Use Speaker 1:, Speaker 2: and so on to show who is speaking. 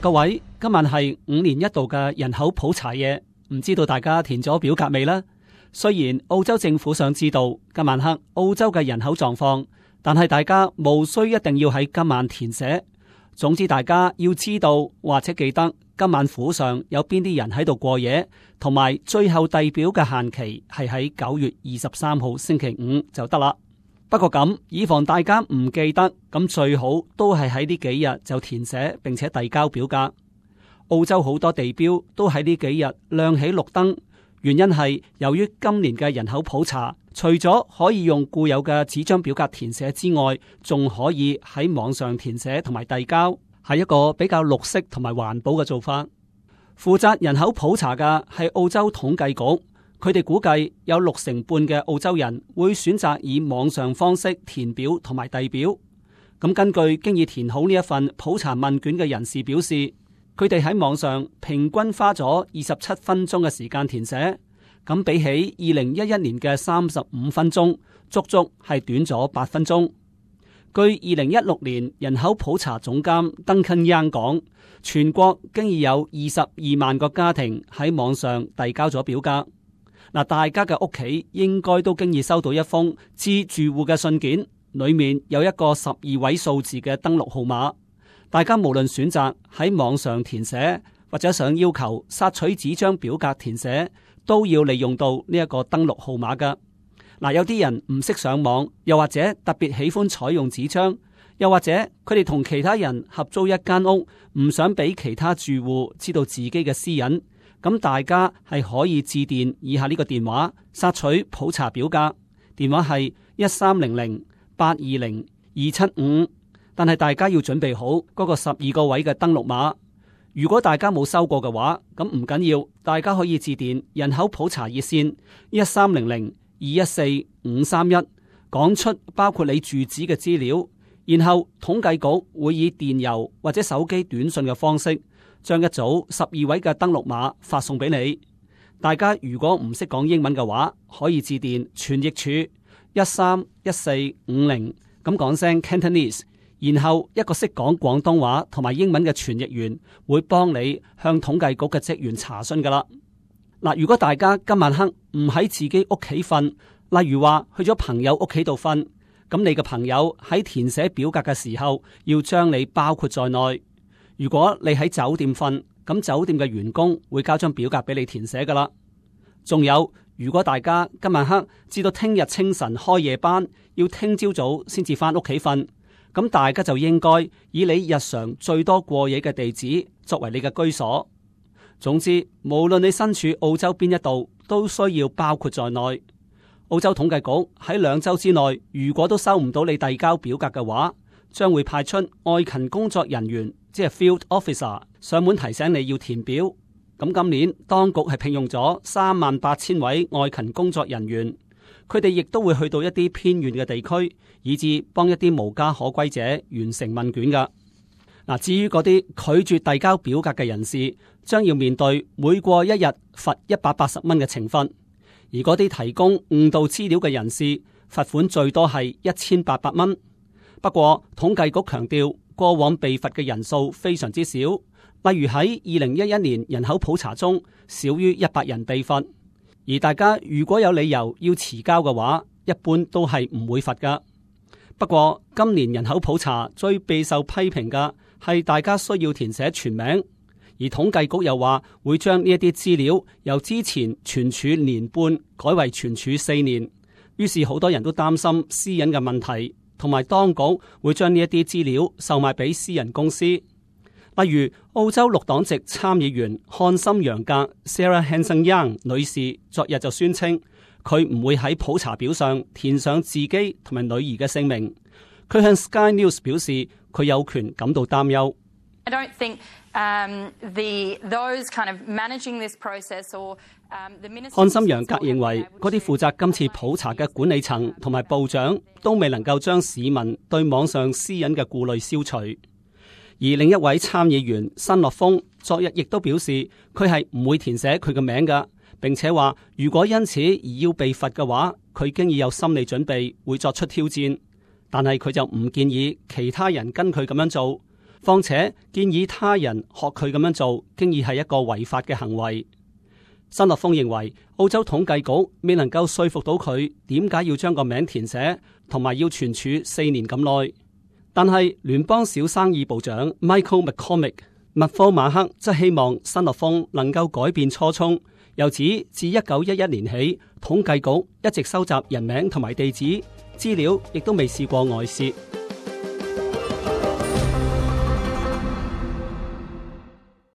Speaker 1: 各位，今晚係5年一度嘅人口普查夜，唔知道大家填咗表格未呢？雖然澳洲政府想知道今晚黑澳洲嘅人口狀況，但係大家無需一定要喺今晚填寫。總之，大家要知道或者記得今晚府上有邊啲人喺度過夜，同埋最後遞表嘅限期係喺9月23號星期五就得啦。不過咁，以防大家唔記得，咁最好都係喺呢幾日就填寫並且遞交表格。澳洲好多地標都喺呢幾日亮起綠燈，原因係由於今年嘅人口普查，除咗可以用固有嘅紙張表格填寫之外，仲可以喺網上填寫同埋遞交，係一個比較綠色同埋環保嘅做法。負責人口普查嘅係澳洲統計局。佢哋估計有60%半嘅澳洲人會選擇以網上方式填表同埋遞表。咁根據經已填好呢一份普查問卷嘅人士表示，佢哋喺網上平均花咗27分鐘嘅時間填寫，咁比起2011年嘅35分鐘，足足係短咗8分鐘。據2016年人口普查總監 Duncan Young 講，全國經已有22萬個家庭喺網上遞交咗表格。大家嘅屋企應該都經已收到一封致住戶嘅信件，裏面有一個12位數字嘅登錄號碼。大家無論選擇喺網上填寫，或者想要求索取紙張表格填寫，都要利用到呢一個登錄號碼㗎。有啲人唔識上網，又或者特別喜歡採用紙張，又或者佢哋同其他人合租一間屋，唔想俾其他住戶知道自己嘅私隱。咁大家係可以致電以下呢個電話索取普查表格，電話係1300-820-275。但係大家要準備好嗰個12個位嘅登錄碼。如果大家冇收過嘅話，咁唔緊要，大家可以致電人口普查熱線1300-214-531，講出包括你住址嘅資料，然後統計局會以電郵或者手機短信嘅方式，將一組12位嘅登錄碼發送俾你。大家如果唔識講英文嘅話，可以致電傳譯處131450，咁講聲 Cantonese， 然後一個識講廣東話同埋英文嘅傳譯員會幫你向統計局嘅職員查詢噶啦。如果大家今晚黑唔喺自己屋企瞓，例如話去咗朋友屋企度瞓，咁你嘅朋友喺填寫表格嘅時候要將你包括在內。如果你喺酒店瞓，咁酒店嘅員工會交張表格俾你填寫噶啦。仲有，如果大家今晚黑至到聽日清晨開夜班，要聽朝早先至翻屋企瞓，咁大家就應該以你日常最多過夜嘅地址作為你嘅居所。總之，無論你身處澳洲邊一度，都需要包括在內。澳洲統計局喺2週之內，如果都收唔到你遞交表格嘅話，將會派出外勤工作人員，即係 Field Officer 上門提醒你要填表。咁今年當局係聘用咗38,000位外勤工作人員，佢哋亦都會去到一啲偏遠嘅地區，以至幫一啲無家可歸者完成問卷噶。至於嗰啲拒絕遞交表格嘅人士，將要面對每過一日罰180蚊嘅懲罰；而嗰啲提供誤導資料嘅人士，罰款最多係1800蚊。不過統計局強調，過往被罰嘅人數非常之少，例如喺2011年人口普查中，少於100人被罰。而大家如果有理由要遲交嘅話，一般都係唔會罰噶。不過今年人口普查最備受批評嘅係大家需要填寫全名，而統計局又話會將呢一啲資料由之前存儲年半改為存儲4年，於是好多人都擔心私隱嘅問題。同埋當局會將呢一啲資料售賣俾私人公司，例如澳洲綠黨籍參議員漢森楊格 Sarah Hanson-Young 女士昨日就宣稱，佢唔會喺普查表上填上自己同埋女兒嘅姓名。佢向 Sky News 表示，佢有權感到擔憂。
Speaker 2: I don't think those kind of managing this process or the minister。
Speaker 1: 漢森楊格認為，嗰啲負責今次普查嘅管理層同埋部長都未能夠將市民對網上私隱嘅顧慮消除。而另一位參議員新樂峰昨日亦都表示，佢係唔會填寫佢嘅名㗎，並且話如果因此而要被罰嘅話，佢經已有心理準備會作出挑戰。但係佢就唔建議其他人跟佢咁樣做。況且建議他人學佢咁樣做，經已係一個違法嘅行為。新樂峰認為澳洲統計局未能夠說服到佢點解要將個名填寫，同埋要存儲4年咁耐。但係聯邦小生意部長 Michael McCormick 麥科馬克則希望新樂峰能夠改變初衷，又指自1911年起，統計局一直收集人名同埋地址資料，亦都未試過外泄。